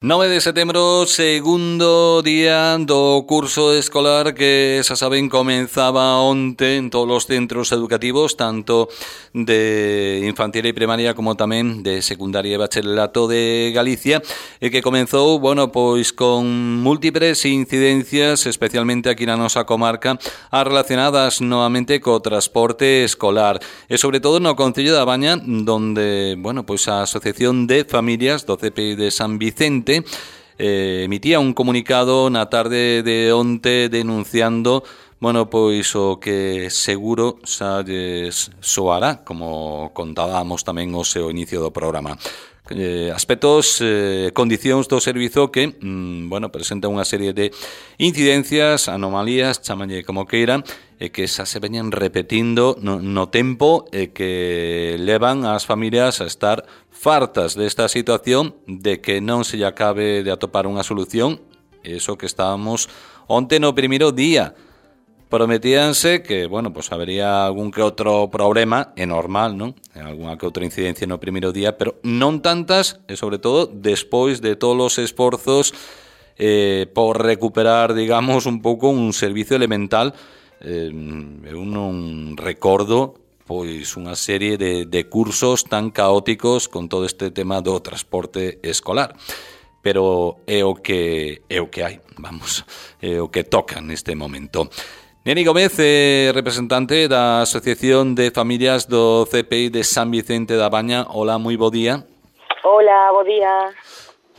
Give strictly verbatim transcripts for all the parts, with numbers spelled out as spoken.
nove de setembro, segundo día do curso escolar que, xa saben, comenzaba onte en todos os centros educativos, tanto de infantil e primaria como tamén de secundaria e bacharelato de Galicia, e que comenzou, bueno, pois con múltiples incidencias, especialmente aquí na nosa comarca, as relacionadas novamente co transporte escolar, e sobre todo no Concello da Baña, donde, bueno, pois a Asociación de Familias do C P I de San Vicente Eh, emitía un comunicado na tarde de onte denunciando, bueno, pois o que seguro xa lles soará, como contábamos tamén o seu inicio do programa. Eh, aspectos, eh, condicións do servizo que, mm, bueno, presenta unha serie de incidencias, anomalías, chamalle como queiran, e que xa se veñen repetindo no, no tempo e que levan ás familias a estar fartas desta situación de que non se lle acabe de atopar unha solución. Eso que estábamos onte no primeiro día. Prometíanse que, bueno, pues habería algún que outro problema, é normal, non? Alguna que outra incidencia no primeiro día, pero non tantas, e sobre todo despois de todos os esforzos eh, por recuperar, digamos, un pouco un servicio elemental. Eh, eu non recordo pois unha serie de, de cursos tan caóticos con todo este tema do transporte escolar. Pero é o que é o que hai, vamos, é o que toca neste momento. Neni Gómez, eh, representante da Asociación de Familias do C P I de San Vicente da Baña. Hola, moi bo día. Hola, bo día.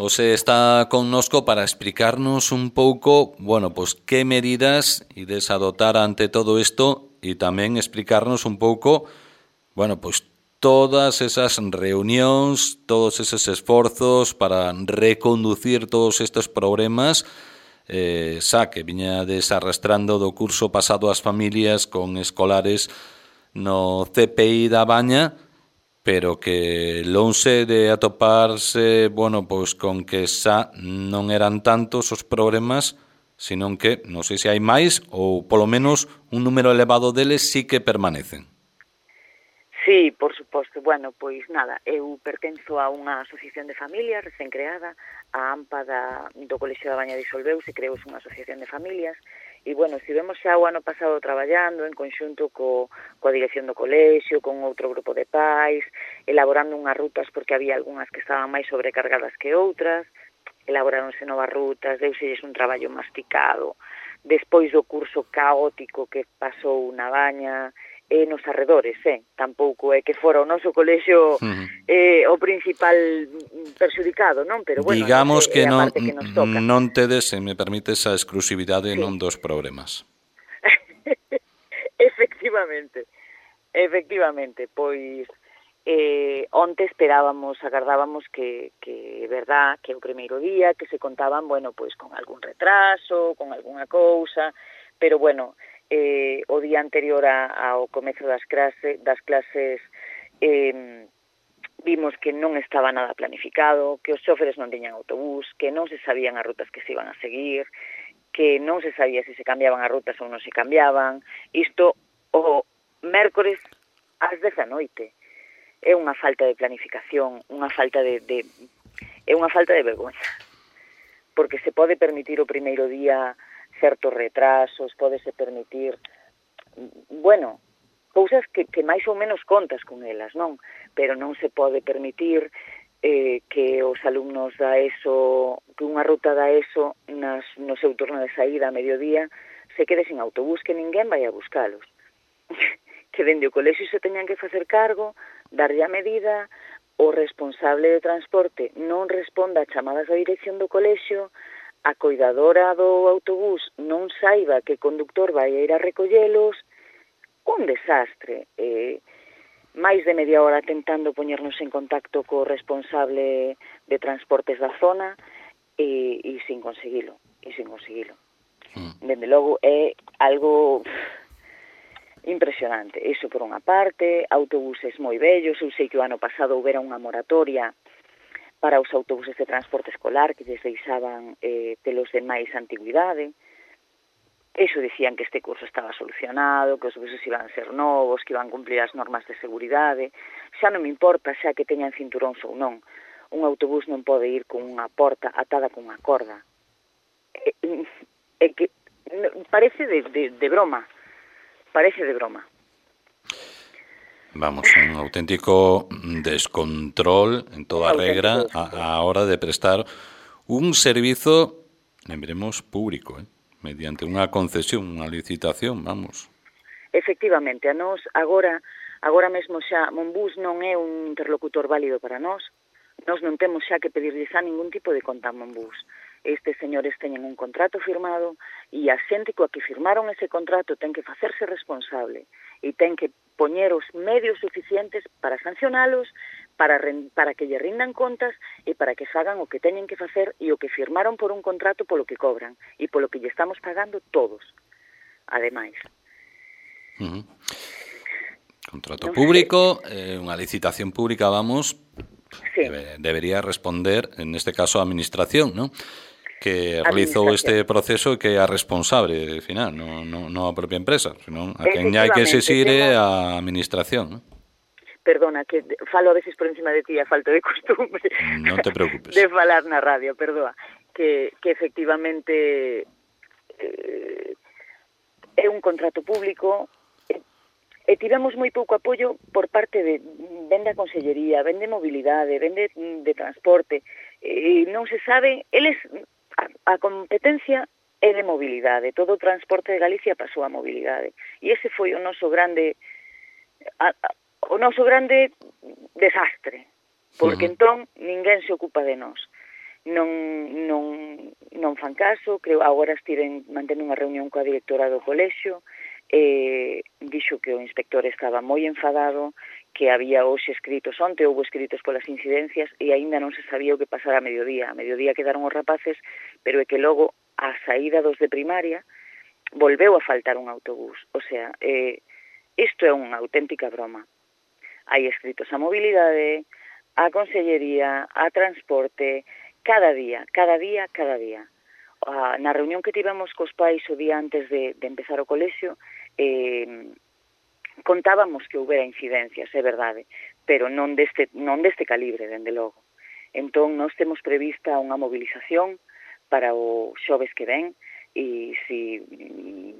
Ose está connosco para explicarnos un pouco, bueno, pues que medidas ides adoptar ante todo isto e tamén explicarnos un pouco, bueno, pues todas esas reunións, todos esos esforzos para reconducir todos estes problemas eh, xa que viñades arrastrando do curso pasado as familias con escolares no C P I da Baña, pero que lonxe de atoparse, bueno, pois con que xa non eran tantos os problemas, senón que, non sei se hai máis, ou polo menos un número elevado deles sí que permanecen. Sí, por suposto. Bueno, pois nada, eu pertenzo a unha asociación de familias recén creada, a AMPA da, do Colexio da Baña disolveuse, creouse unha asociación de familias, e, bueno, estivemos xa o ano pasado traballando en conxunto co, coa dirección do colexio, con outro grupo de pais, elaborando unhas rutas porque había algunhas que estaban máis sobrecargadas que outras, elaboráronse novas rutas, deuselles un traballo masticado, despois do curso caótico que pasou na Baña, e nos arredores, eh? Tampouco é que fora o noso colexio uh-huh. eh, o principal perxudicado, non? Pero, bueno, digamos que, é a non, parte que nos toca. Non tedes, se me permites, a exclusividade sí. non dos problemas. Efectivamente, efectivamente, pois eh, onte esperábamos, agardábamos que, que, verdad, que o primeiro día, que se contaban, bueno, pois con algún retraso, con algunha cousa, pero, bueno, Eh, o día anterior a, ao comezo das, clase, das clases eh, vimos que non estaba nada planificado, que os xóferes non tiñan autobús, que non se sabían as rutas que se iban a seguir, que non se sabía se se cambiaban as rutas ou non se cambiaban. Isto o mércores ás dez da noite. É unha falta de planificación, unha falta de, de é unha falta de vergonza. Porque se pode permitir o primeiro día certos retrasos, pódese permitir, bueno, cousas que, que máis ou menos contas con elas, non? Pero non se pode permitir eh, que os alumnos da ESO, que unha ruta da ESO nas, no seu turno de saída a mediodía se quede sin autobús, que ninguén vai a buscalos. Que dende o colexio se teñan que facer cargo, darlle a medida, o responsable de transporte non responda a chamadas da dirección do colexio, a coidadora do autobús non saiba que o conductor vai a ir a recollelos, un desastre. Eh, máis de media hora tentando poñernos en contacto co responsable de transportes da zona e, e sin conseguilo, e sin conseguilo. Mm. Dende logo é algo pff, impresionante. Iso por unha parte, autobuses moi vellos, eu sei que o ano pasado houbera unha moratoria para os autobuses de transporte escolar que lles deixaban eh, telos de máis antigüidade. Eso dicían que este curso estaba solucionado, que os buses iban a ser novos, que iban a cumplir as normas de seguridade. Xa non me importa xa que teñan cinturóns ou non. un autobús non pode ir con unha porta atada con unha corda. É, é que parece de, de, de broma, parece de broma. Vamos, un auténtico descontrol en toda regra a, a hora de prestar un servizo, lembremos, público, eh? mediante unha concesión, unha licitación, vamos. Efectivamente, a nós agora, agora mesmo xa Monbus non é un interlocutor válido para nós, nós non temos xa que pedirlles a ningún tipo de conta a Monbus. Estes señores teñen un contrato firmado e a xente coa que firmaron ese contrato ten que facerse responsable e ten que poñer os medios suficientes para sancionalos, para, para que lle rindan contas e para que fagan o que teñen que facer e o que firmaron por un contrato polo que cobran e polo que lle estamos pagando todos, ademais. Uh-huh. Contrato no público, eh, unha licitación pública, vamos, sí. debe, debería responder, en este caso, a administración, ¿no? que realizou este proceso e que é a responsable final, non no, no a propia empresa, senón a quen hai que exixir é a administración, ¿no? Perdona, que falo a veces por encima de ti a falta de costumbre. Non te preocupes. De falar na radio, perdoa. Que, que efectivamente eh, é un contrato público e, e tivemos moi pouco apoio por parte de vende a Consellería, vende mobilidade, vende de transporte, e non se sabe, eles a, a competencia é de mobilidade, todo o transporte de Galicia pasou a mobilidade, e ese foi o noso grande a, a, o noso grande desastre, porque uh-huh. entón ninguén se ocupa de nós. Non, non, non fan caso, creo agora estiven mantendo unha reunión coa directora do colexio, e dixo que o inspector estaba moi enfadado, que había hoxe escritos, onte houve escritos polas incidencias e aínda non se sabía o que pasara a mediodía. A mediodía quedaron os rapaces, pero é que logo a saída dos de primaria volveu a faltar un autobús. O sea, eh, isto é unha auténtica broma. Hai escritos a mobilidade, a Consellería, a transporte, cada día, cada día, cada día. Ah, na reunión que tivemos cos pais o día antes de, de empezar o colexio, eh, contábamos que houbera incidencias, é verdade, pero non deste, non deste calibre, dende logo. Entón, nós temos prevista unha movilización para o xoves que ven, e se si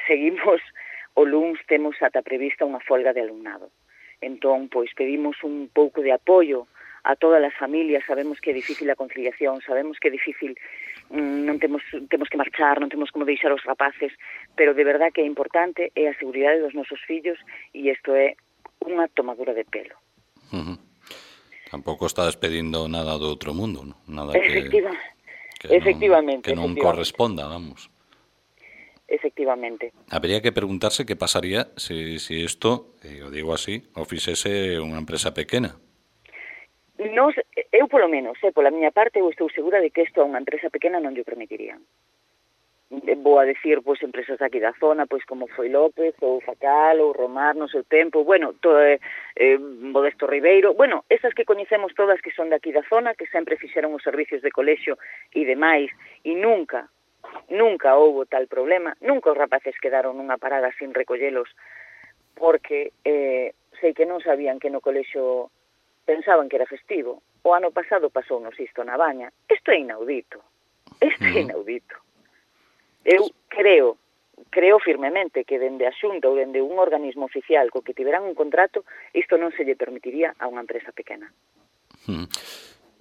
seguimos o luns temos ata prevista unha folga de alumnado. Entón, pois, pedimos un pouco de apoio a todas as familias, sabemos que é difícil a conciliación, sabemos que é difícil, mm, non temos temos que marchar, non temos como deixar os rapaces, pero de verdad que é importante, é a seguridade dos nosos fillos, e isto é unha tomadura de pelo. Uh-huh. Tampouco estás pedindo nada do outro mundo, ¿no? Nada que, Efectiva, que efectivamente, non, que non efectivamente. corresponda, vamos. Efectivamente. Habría que preguntarse que pasaría se si, si isto, eh, o digo así, o fixese unha empresa pequena. Nos, eu polo menos, eh, pola miña parte, eu estou segura de que isto a unha empresa pequena non lle permitirían. Vou a decir, pois, empresas aquí da zona, pois, como foi López, ou Facal, ou Romar, no seu tempo, bueno, todo, eh, eh, Modesto Ribeiro, bueno, esas que coñecemos todas que son de aquí da zona, que sempre fixeron os servicios de colexio e demais, e nunca, nunca houbo tal problema, nunca os rapaces quedaron nunha parada sin recollelos, porque eh, sei que non sabían que no colexio pensaban que era festivo. O ano pasado pasou nos isto na Baña. Isto é inaudito. Isto é inaudito. Eu creo, creo firmemente que dende a Xunta ou dende un organismo oficial co que tiveran un contrato, isto non se lle permitiría a unha empresa pequena.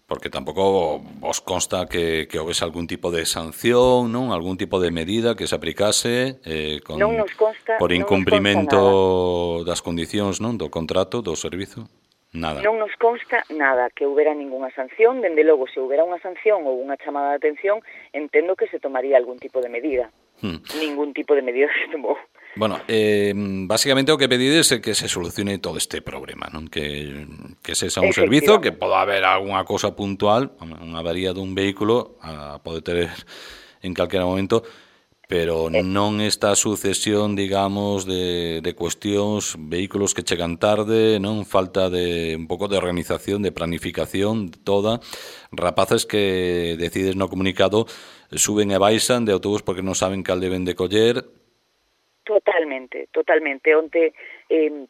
Porque tampouco vos consta que, que houvese algún tipo de sanción, non? Algún tipo de medida que se aplicase eh, con, non nos consta, por incumprimento non nos consta das condicións, non, do contrato, do servizo? Nada. Non nos consta nada que houbera ningunha sanción, dende logo, se houbera unha sanción ou unha chamada de atención, entendo que se tomaría algún tipo de medida. Hmm. Ningún tipo de medida se tomou. Bueno, eh, básicamente o que pedides é que se solucione todo este problema, non? Que, que se xa un servizo, que poda haber algunha cosa puntual, unha avaría dun vehículo, a pode ter en calquera momento, pero non esta sucesión, digamos, de, de cuestións, vehículos que chegan tarde, non, falta de un pouco de organización, de planificación toda, rapaces que decides no comunicado suben e baixan de autobús porque non saben cal deben de coller. Totalmente, totalmente. Onte eh,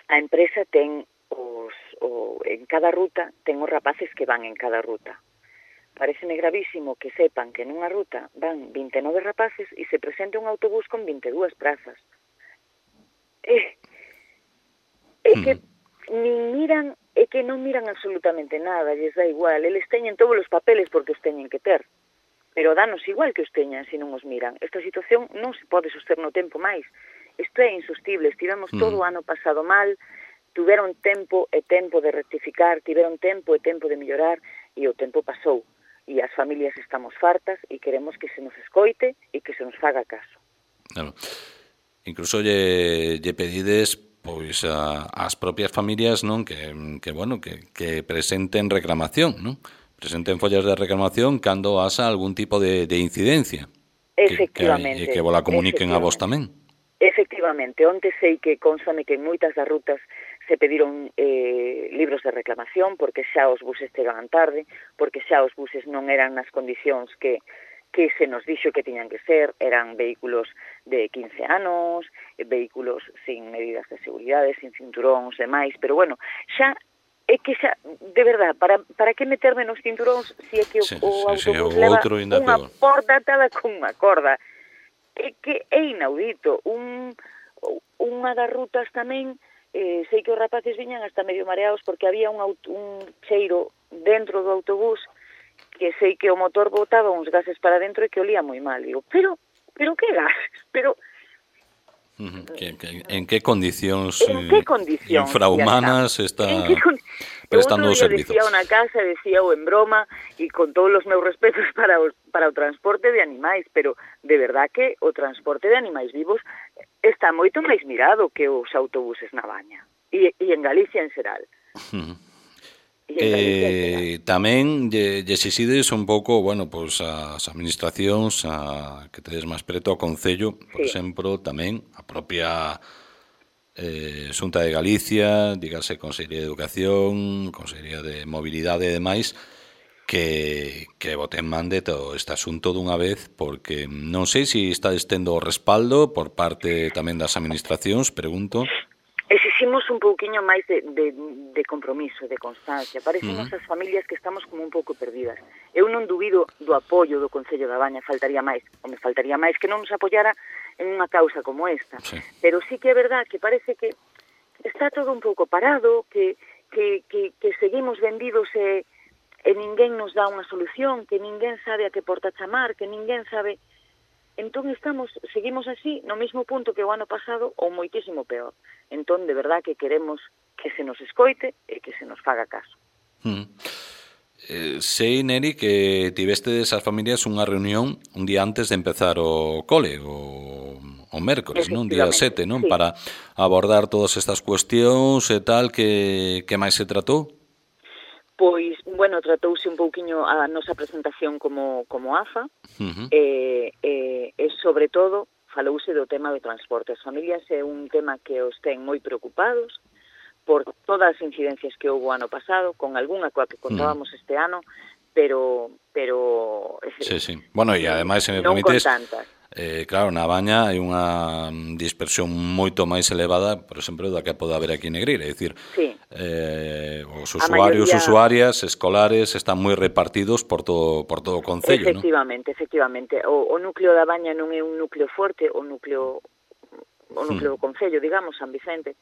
a empresa ten os, o, en cada ruta ten os rapaces que van en cada ruta. Pareceme gravísimo que sepan que nunha ruta van vinte e nove rapaces e se presente un autobús con vinte e dúas prazas. É, é que nin miran, é que non miran absolutamente nada, lles dá igual, eles teñen todos os papeles porque os teñen que ter, pero danos igual que os teñan se non os miran. Esta situación non se pode soster no tempo máis. Isto é insostible, estivemos todo o ano pasado mal, tiveron tempo e tempo de rectificar, tiveron tempo e tempo de mellorar, e o tempo pasou. E as familias estamos fartas e queremos que se nos escoite e que se nos faga caso. Claro. Incluso lle, lle pedides pois a, as propias familias, non, que, que bueno, que, que presenten reclamación, non? Presenten follas de reclamación cando haxa algún tipo de, de incidencia. Efectivamente. Que, que, que vos la comuniquen a vos tamén. Efectivamente, onte sei que constame que en moitas das rutas se pediron eh, libros de reclamación porque xa os buses chegaban tarde, porque xa os buses non eran nas condicións que, que se nos dixo que tiñan que ser, eran vehículos de quince anos, vehículos sin medidas de seguridade, sin cinturóns e máis, pero bueno, xa é que xa, de verdad, para, para que meterme nos cinturóns se é que o, sí, o sí, autobús sí, leva unha porta atada con unha corda. É que é inaudito. Un, unha das rutas tamén, eh, sei que os rapaces viñan hasta medio mareados porque había un, auto, un cheiro dentro do autobús que sei que o motor botaba uns gases para dentro e que olía moi mal. Digo, pero, pero que gases? Pero... Que, que, en que condicións, en que condicións infrahumanas está, está con... prestando o servizo? Decía unha casa, decía o en broma, e con todos os meus respetos para, os, para o transporte de animais, pero de verdad que o transporte de animais vivos está moito máis mirado que os autobuses na Baña, e, e en Galicia en xeral. Uh-huh. Eh, tamén lle, lle exixides un pouco, bueno, pois as administracións a, que tedes máis preto ao Concello, por sí. exemplo, tamén a propia eh, Xunta de Galicia, dígase Consellería de Educación, Consellería de Mobilidade e demais, que, que boten man de todo este asunto dunha vez, porque non sei se está estendo o respaldo por parte tamén das administracións, pregunto. Exiximos un pouquiño máis de, de, de compromiso, de constancia. Parecemos uh-huh. as familias que estamos como un pouco perdidas. Eu non dubido do apoio do Concello da Baña, faltaría máis, ou me faltaría máis que non nos apoiara en unha causa como esta. Sí. Pero sí que é verdad que parece que está todo un pouco parado, que, que, que, que seguimos vendidos e, e ninguén nos dá unha solución, que ninguén sabe a que porta chamar, que ninguén sabe... Entón estamos, seguimos así no mesmo punto que o ano pasado ou moitísimo peor. Entón, de verdad que queremos que se nos escoite e que se nos faga caso. Mm. Eh, sei, Neri, que tiveste desas familias unha reunión un día antes de empezar o cole, o, o mércoles, non? Día sete, non? Sí. Para abordar todas estas cuestións e tal, que, que máis se tratou? Pois, bueno, tratouse un pouquiño a nosa presentación como, como A F A, uh-huh. e, e, e, sobre todo, falouse do tema do transporte. As familias é un tema que os ten moi preocupados por todas as incidencias que houve o ano pasado, con algunha coa que contábamos uh-huh. este ano, pero... pero sí, sí. Bueno, e ademais, se me non permites... con tantas. Eh, claro, na Baña hai unha dispersión moito máis elevada, por exemplo, da que pode haber aquí en Negreira, é dicir, sí. eh, os usuarios, maioría... usuarias, escolares están moi repartidos por todo por todo o concello, efectivamente, ¿no? Efectivamente, o, o núcleo da Baña non é un núcleo forte, o núcleo o núcleo hmm. do concello, digamos, San Vicente,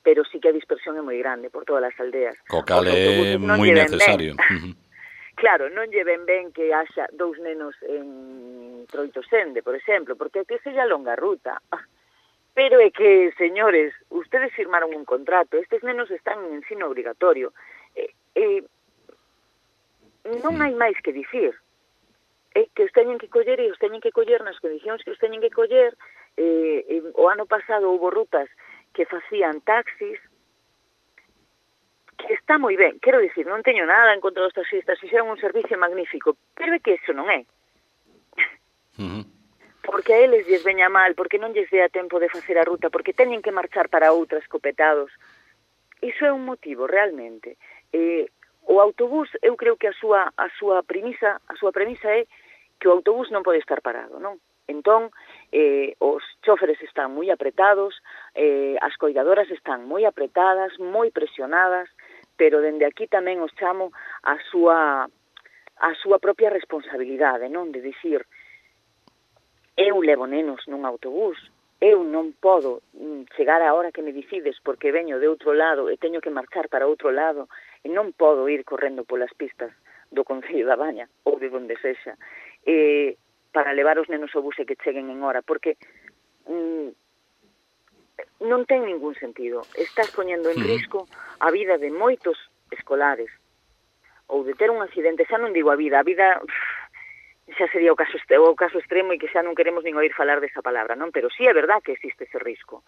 pero sí que a dispersión é moi grande por todas as aldeas. Co cal é moi necesario. Claro, non lle ven ben que haxa dous nenos en Troitosende, por exemplo, porque que sella longa ruta. Pero é que, señores, ustedes firmaron un contrato, estes nenos están en ensino obrigatorio. Eh, eh, non hai máis que dicir. É que os teñen que coller e os teñen que coller nas condicións que os teñen que coller. Eh, eh, o ano pasado houve rutas que facían taxis, que está moi ben, quero dicir, non teño nada en contra dos taxistas, fixeron un servicio magnífico, pero é que iso non é. Uh-huh. Porque a eles lles veña mal, porque non lles dea tempo de facer a ruta, porque teñen que marchar para outra escopetados. Iso é un motivo, realmente. Eh, o autobús, eu creo que a súa, a súa premisa, a súa premisa é que o autobús non pode estar parado, non? Entón, eh, os chóferes están moi apretados, eh, as coidadoras están moi apretadas, moi presionadas, pero dende aquí tamén os chamo a súa a súa propia responsabilidade, non? De dicir, eu levo nenos nun autobús, eu non podo chegar á hora que me dicides porque veño de outro lado e teño que marchar para outro lado e non podo ir correndo polas pistas do Concello da Baña ou de onde sexa eh, para levar os nenos ao bus e que cheguen en hora, porque mm, non ten ningún sentido. Estás poñendo en risco a vida de moitos escolares ou de ter un accidente, xa non digo a vida, a vida xa sería o caso, o caso extremo e que xa non queremos nin oír falar desa palabra, non? Pero sí é verdad que existe ese risco.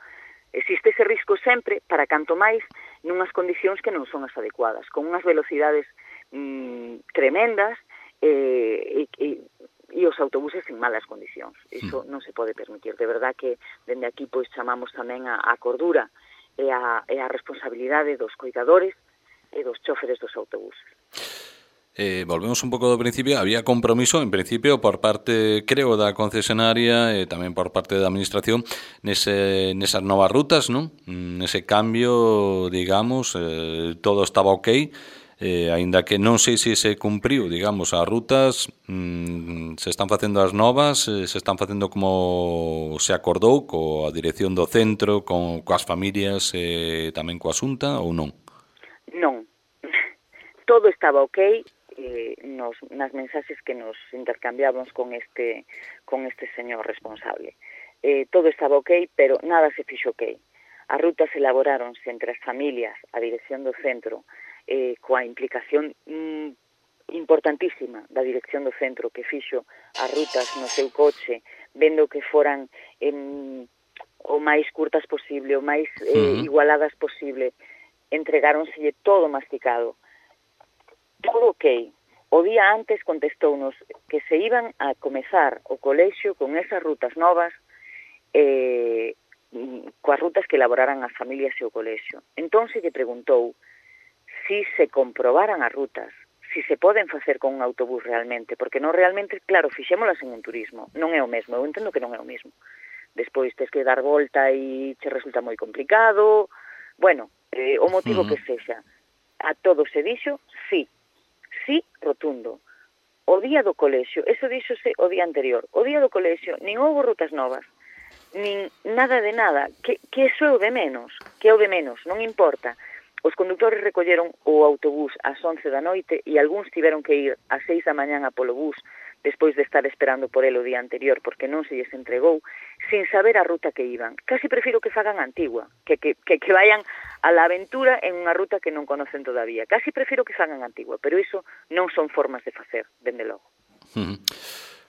Existe ese risco sempre para canto máis nunhas condicións que non son as adecuadas, con unhas velocidades mmm, tremendas e, e, e os autobuses en malas condicións. Iso non se pode permitir. De verdad que dende aquí pois chamamos tamén a, a cordura e a, e a responsabilidade dos coidadores e dos choferes dos autobuses. Eh, volvemos un pouco do principio. Había compromiso, en principio, por parte, creo, da concesionaria e tamén por parte da administración nese, nesas novas rutas, non? Nese cambio, digamos, eh, todo estaba ok, eh, aínda que non sei se se cumpriu, digamos, as rutas, mm, se están facendo as novas, eh, se están facendo como se acordou coa dirección do centro, con coas familias e eh, tamén coa Xunta, ou non? Non. Todo estaba ok. Eh, nos, nas mensaxes que nos intercambiamos con este con este señor responsable. Eh, todo estaba ok, pero nada se fixo ok. As rutas elaboráronse entre as familias, a dirección do centro, eh, coa implicación mm, importantísima da dirección do centro que fixo as rutas no seu coche, vendo que foran em, o máis curtas posible, o máis eh, uh-huh. igualadas posible, entregáronselle todo masticado. Todo ok. O día antes contestounos que se iban a comezar o colexio con esas rutas novas, eh, coas rutas que elaboraran as familias e o colexio. Entón se lle preguntou si se comprobaran as rutas, si se poden facer con un autobús realmente, porque non realmente, claro, fixémolas en un turismo, non é o mesmo, eu entendo que non é o mesmo. Despois tes que dar volta e che resulta moi complicado, bueno, eh, o motivo uh-huh. que sexa. A todo se dixo, sí. Sí, rotundo. O día do colexio, eso díxose o día anterior, o día do colexio, nin houve rutas novas, nin nada de nada, que, que eso é o de menos, que é o de menos, non importa. Os condutores recolleron o autobús ás once da noite e algúns tiveron que ir ás seis da mañán a polo bus despois de estar esperando por el o día anterior porque non se lles entregou, sin saber a ruta que iban. Casi prefiro que fagan a antigua, que, que, que, que vayan a la aventura en unha ruta que non conocen todavía. Casi prefiro que fagan a antigua, pero iso non son formas de facer, dende logo. Uh-huh.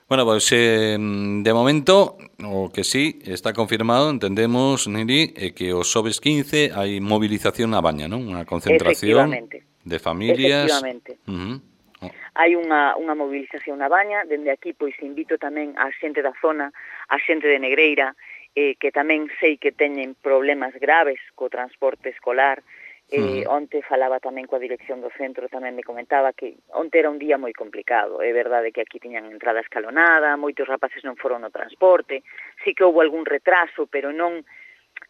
Bueno, pois pues, eh, de momento o que sí está confirmado, entendemos, Neri, é que o xoves quince hai movilización na Baña, non? Unha concentración de familias. Efectivamente. Uh-huh. Oh. Hai unha, unha movilización na Baña, dende aquí pois invito tamén a xente da zona, a xente de Negreira, eh, que tamén sei que teñen problemas graves co transporte escolar. Eh, uh-huh. Onte falaba tamén coa dirección do centro, tamén me comentaba que onte era un día moi complicado. É verdade que aquí tiñan entrada escalonada, moitos rapaces non foron no transporte, sí que houve algún retraso, pero non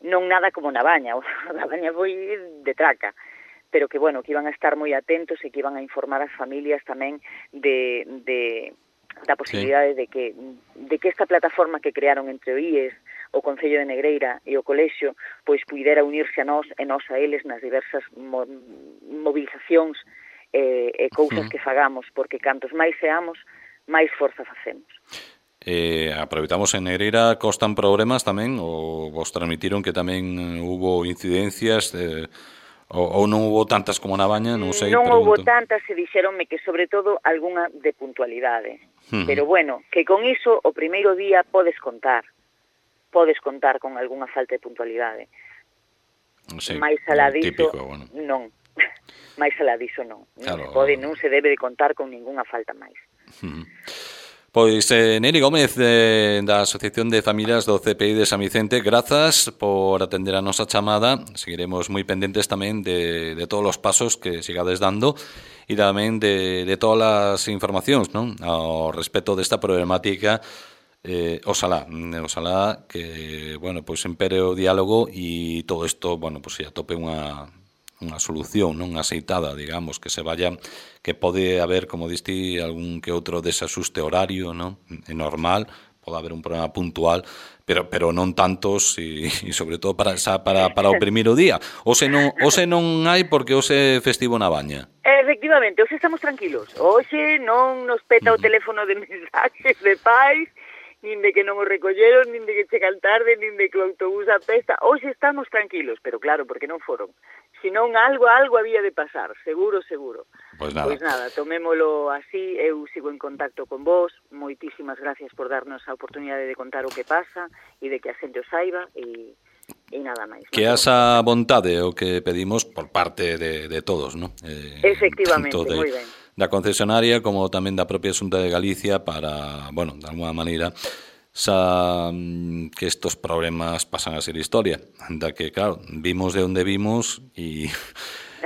non nada como na Baña. Na Baña foi de traca, pero que, bueno, que iban a estar moi atentos e que iban a informar as familias tamén de, de da posibilidade sí. de que de que esta plataforma que crearon entre o I E S, o Concello de Negreira e o colexio, pois puidera unirse a nós e nós a eles nas diversas mo movilizacións e, e cousas uh-huh. que fagamos, porque cantos máis seamos, máis forza facemos. Eh, aproveitamos en Negreira, costan problemas tamén, ou vos transmitiron que tamén hubo incidencias, eh, ou, ou non hubo tantas como na Baña, non sei. Non pregunto. Houbo tantas e dixeronme que sobre todo algunha de puntualidade. Uh-huh. Pero bueno, que con iso o primeiro día podes contar. Podes contar con algunha falta de puntualidade. Sí, máis alá diso, típico, bueno. non. máis alá diso non. Claro. Non se pode, non se debe de contar con ningunha falta máis. Uh-huh. Pois, eh, Neri Gómez, eh, da Asociación de Familias do C P I de San Vicente, grazas por atender a nosa chamada. Seguiremos moi pendentes tamén de, de todos os pasos que sigades dando e tamén de, de todas as informacións, non? Ao respecto desta problemática. Eh, oxalá, oxalá que, bueno, pois empere o diálogo e todo isto, bueno, pois se atope unha unha solución non aceitada, digamos, que se vaya, que pode haber, como diste, algún que outro desaxuste horario, non? É normal, pode haber un problema puntual, pero pero non tantos e, e sobre todo para xa, para para o primeiro día. Ose non ose non hai porque ose é festivo na Baña. Efectivamente, hoxe estamos tranquilos. Hoxe non nos peta o teléfono de mensaxes de pais, nin de que non o recolleron, nin de que chegan tarde, nin de que o autobús apesta. Hoxe estamos tranquilos, pero claro, porque non foron. Senón algo, algo había de pasar, seguro, seguro. Pois nada. Pois nada, tomémolo así, eu sigo en contacto con vos, moitísimas gracias por darnos a oportunidade de contar o que pasa e de que a xente o saiba e, e nada máis. Que esa vontade o que pedimos por parte de, de todos, ¿no? Eh, Efectivamente, de, moi ben. Da concesionaria como tamén da propia Xunta de Galicia para, bueno, de alguna maneira xa que estos problemas pasan a ser historia, da que, claro, vimos de onde vimos e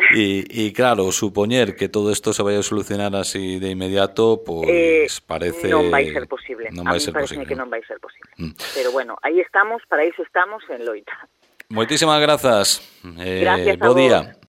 e, e claro, supoñer que todo isto se vai a solucionar así de inmediato, pois eh, parece non vai ser posible. Non vai a mí ser parece posible, que non non vai ser posible. Mm. Pero bueno, aí estamos, para iso estamos en loita. Moitísimas grazas. Eh, Gracias a bo vos. día.